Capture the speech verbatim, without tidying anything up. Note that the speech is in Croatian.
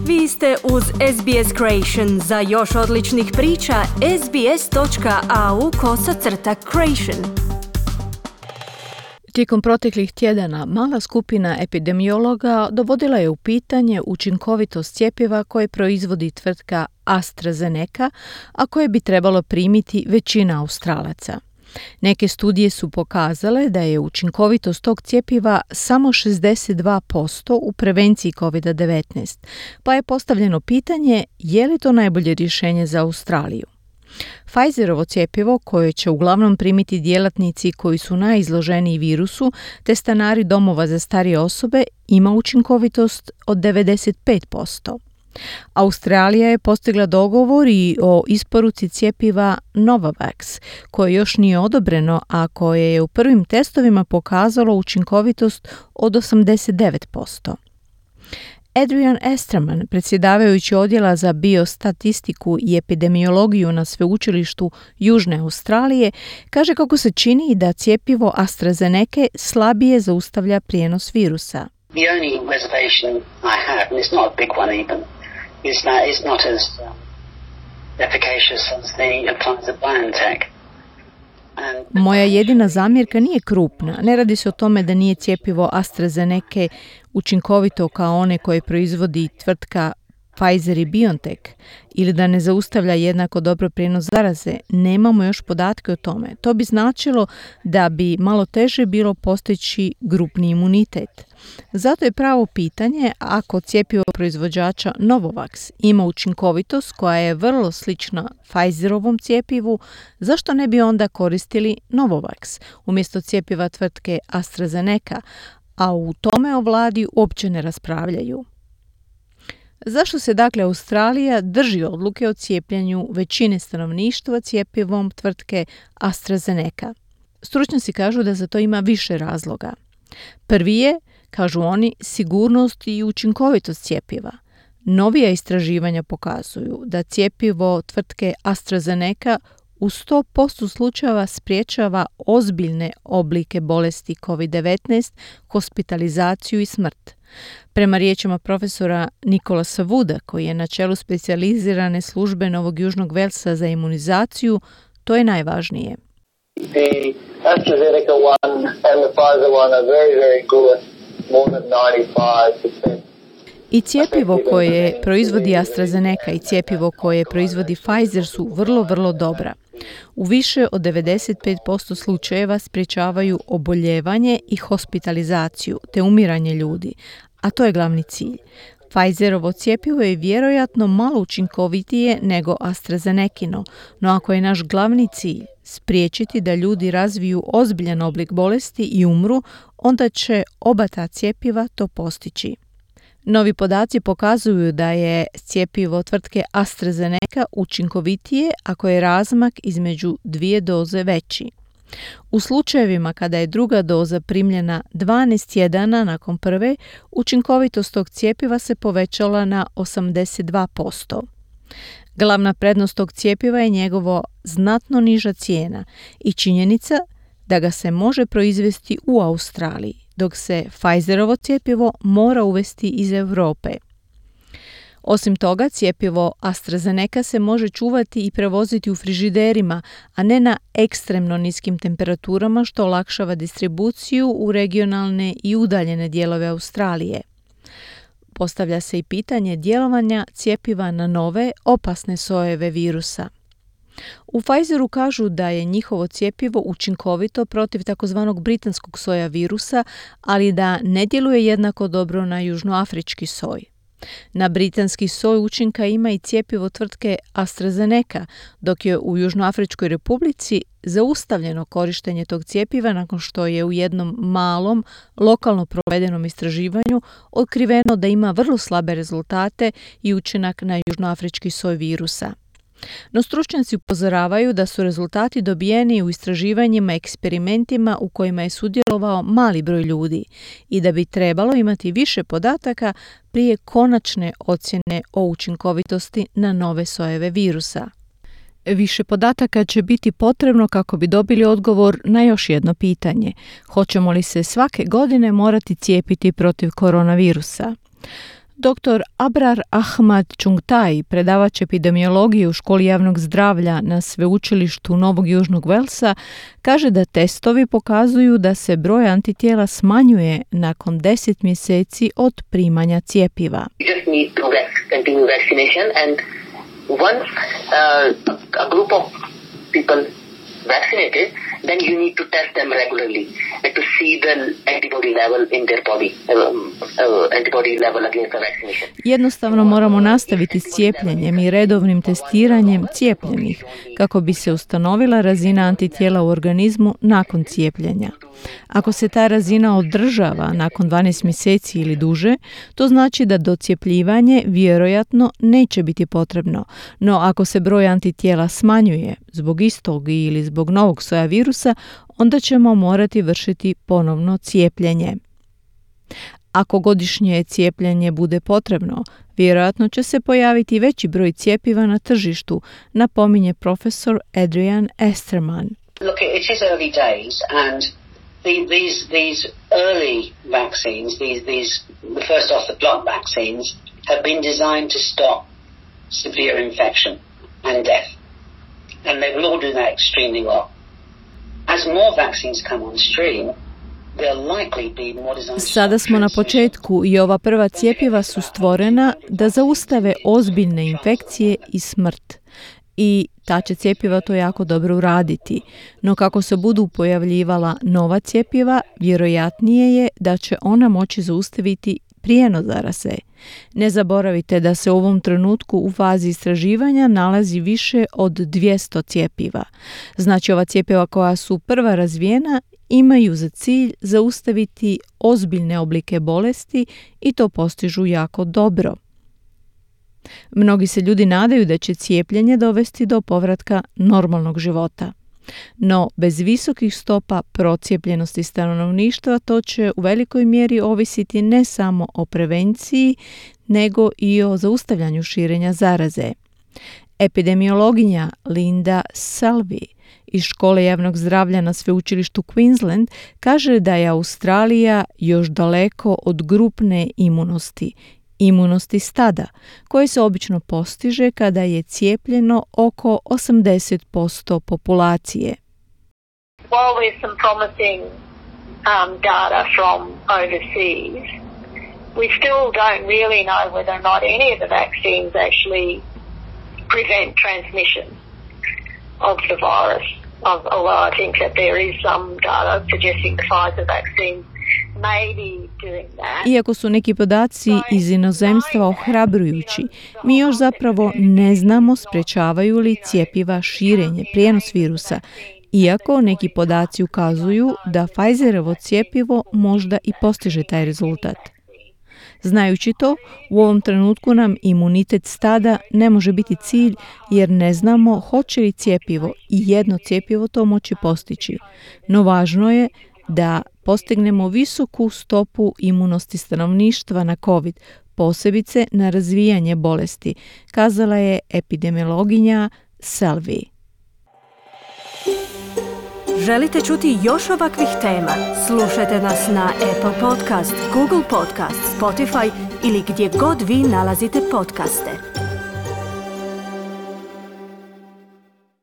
Vi ste uz S B S Creation. Za još odličnih priča, sbs.au kosacrta creation. Tijekom proteklih tjedana mala skupina epidemiologa dovodila je u pitanje učinkovitost cjepiva koje proizvodi tvrtka AstraZeneca, a koje bi trebalo primiti većina Australaca. Neke studije su pokazale da je učinkovitost tog cjepiva samo šezdeset dva posto u prevenciji covid devetnaest, pa je postavljeno pitanje je li to najbolje rješenje za Australiju. Pfizerovo cjepivo, koje će uglavnom primiti djelatnici koji su najizloženiji virusu, te stanari domova za starije osobe, ima učinkovitost od devedeset pet posto. Australija je postigla dogovor i o isporuci cjepiva Novavax, koje još nije odobreno, a koje je u prvim testovima pokazalo učinkovitost od osamdeset devet posto. Adrian Esterman, predsjedavajući odjela za biostatistiku i epidemiologiju na sveučilištu Južne Australije, kaže kako se čini da cjepivo AstraZeneca slabije zaustavlja prijenos virusa. The only reservation I have, and it's not a big one even, is that it's not as um, efficacious as the Pfizer-BioNTech. Moja jedina zamjerka nije krupna. Ne radi se o tome da nije cjepivo AstraZeneca učinkovito kao one koje proizvodi tvrtka Pfizer i BioNTech ili da ne zaustavlja jednako dobro prijenos zaraze. Nemamo još podatke o tome. To bi značilo da bi malo teže bilo postići grupni imunitet. Zato je pravo pitanje ako cjepivo proizvođača Novavax ima učinkovitost koja je vrlo slična Pfizerovom cjepivu, zašto ne bi onda koristili Novavax umjesto cjepiva tvrtke AstraZeneca, a u tome o vladi uopće ne raspravljaju. Zašto se dakle Australija drži odluke o cijepljenju većine stanovništva cjepivom tvrtke AstraZeneca? Stručnjaci kažu da za to ima više razloga. Prvi je, kažu oni, sigurnost i učinkovitost cjepiva. Novija istraživanja pokazuju da cjepivo tvrtke AstraZeneca u sto posto slučajeva sprječava ozbiljne oblike bolesti covid devetnaest, hospitalizaciju i smrt. Prema riječima profesora Nicolasa Wooda, koji je na čelu specijalizirane službe Novog Južnog Velsa za imunizaciju, to je najvažnije. The AstraZeneca one and the Pfizer one are very, very good, more than ninety-five percent. I cjepivo koje proizvodi AstraZeneca i cjepivo koje proizvodi Pfizer su vrlo, vrlo dobra. U više od devedeset pet posto slučajeva sprječavaju oboljevanje i hospitalizaciju te umiranje ljudi, a to je glavni cilj. Pfizerovo cjepivo je vjerojatno malo učinkovitije nego AstraZenecino, no ako je naš glavni cilj spriječiti da ljudi razviju ozbiljan oblik bolesti i umru, onda će oba ta cjepiva to postići. Novi podaci pokazuju da je cjepivo tvrtke AstraZeneca učinkovitije ako je razmak između dvije doze veći. U slučajevima kada je druga doza primljena dvanaest tjedana nakon prve, učinkovitost tog cjepiva se povećala na osamdeset dva posto. Glavna prednost tog cjepiva je njegovo znatno niža cijena i činjenica da ga se može proizvesti u Australiji, dok se Pfizerovo cjepivo mora uvesti iz Europe. Osim toga, cjepivo AstraZeneca se može čuvati i prevoziti u frižiderima, a ne na ekstremno niskim temperaturama, što olakšava distribuciju u regionalne i udaljene dijelove Australije. Postavlja se i pitanje djelovanja cjepiva na nove, opasne sojeve virusa. U Pfizeru kažu da je njihovo cjepivo učinkovito protiv takozvanog britanskog soja virusa, ali da ne djeluje jednako dobro na južnoafrički soj. Na britanski soj učinka ima i cjepivo tvrtke AstraZeneca, dok je u Južnoafričkoj republici zaustavljeno korištenje tog cjepiva nakon što je u jednom malom, lokalno provedenom istraživanju otkriveno da ima vrlo slabe rezultate i učinak na južnoafrički soj virusa. No stručnjaci upozoravaju da su rezultati dobijeni u istraživanjima i eksperimentima u kojima je sudjelovao mali broj ljudi i da bi trebalo imati više podataka prije konačne ocjene o učinkovitosti na nove sojeve virusa. Više podataka će biti potrebno kako bi dobili odgovor na još jedno pitanje. Hoćemo li se svake godine morati cijepiti protiv koronavirusa? doktor Abrar Ahmad Chungtai, predavač epidemiologije u Školi javnog zdravlja na Sveučilištu Novog Južnog Velsa, kaže da testovi pokazuju da se broj antitijela smanjuje nakon deset mjeseci od primanja cjepiva. You just need to continue vaccination, and once uh, a group of people vaccinated, then you need to test them regularly and to see the antibody level in their body, um, uh, antibody level against the vaccination. Jednostavno moramo nastaviti s cijepljenjem i redovnim testiranjem cijepljenih kako bi se ustanovila razina antitijela u organizmu nakon cijepljenja. Ako se ta razina održava nakon dvanaest mjeseci ili duže, to znači da docjepljivanje vjerojatno neće biti potrebno. No ako se broj antitijela smanjuje zbog istog ili zbog novog soja virusa, onda ćemo morati vršiti ponovno cijepljenje. Ako godišnje cijepljenje bude potrebno, vjerojatno će se pojaviti veći broj cjepiva na tržištu, napominje profesor Adrian Esterman. Look, it is early days, and the, these these early vaccines, these these the first off the block vaccines, have been designed to stop severe infection and death, and they will all do that extremely well. As more vaccines come on stream, sada smo na početku i ova prva cjepiva su stvorena da zaustave ozbiljne infekcije i smrt. I ta će cjepiva to jako dobro uraditi. No kako se budu pojavljivala nova cjepiva, vjerojatnije je da će ona moći zaustaviti prijenos zaraze. Ne zaboravite da se u ovom trenutku u fazi istraživanja nalazi više od dvjesto cjepiva. Znači ova cjepiva koja su prva razvijena imaju za cilj zaustaviti ozbiljne oblike bolesti i to postižu jako dobro. Mnogi se ljudi nadaju da će cijepljenje dovesti do povratka normalnog života. No, bez visokih stopa procijepljenosti stanovništva to će u velikoj mjeri ovisiti ne samo o prevenciji, nego i o zaustavljanju širenja zaraze. Epidemiologinja Linda Selby iz Škole javnog zdravlja na Sveučilištu Queensland kaže da je Australija još daleko od grupne imunosti, imunosti stada, koje se obično postiže kada je cijepljeno oko osamdeset posto populacije. While there's some promising um, data from overseas, we still don't really know whether or not any of the vaccines actually prevent transmission of the virus. Although I think that there is some data suggesting the Pfizer vaccine may be doing that. Iako su neki podaci iz inozemstva ohrabrujući, mi još zapravo ne znamo sprečavaju li cjepiva širenje, prijenos virusa, iako neki podaci ukazuju da Pfizerovo cjepivo možda i postiže taj rezultat. Znajući to, u ovom trenutku nam imunitet stada ne može biti cilj jer ne znamo hoće li cjepivo i jedno cjepivo to moći postići. No važno je da postignemo visoku stopu imunosti stanovništva na COVID, posebice na razvijanje bolesti, kazala je epidemiologinja Selby. Želite čuti još ovakvih tema? Slušajte nas na Apple Podcast, Google Podcast, Spotify ili gdje god vi nalazite podcaste.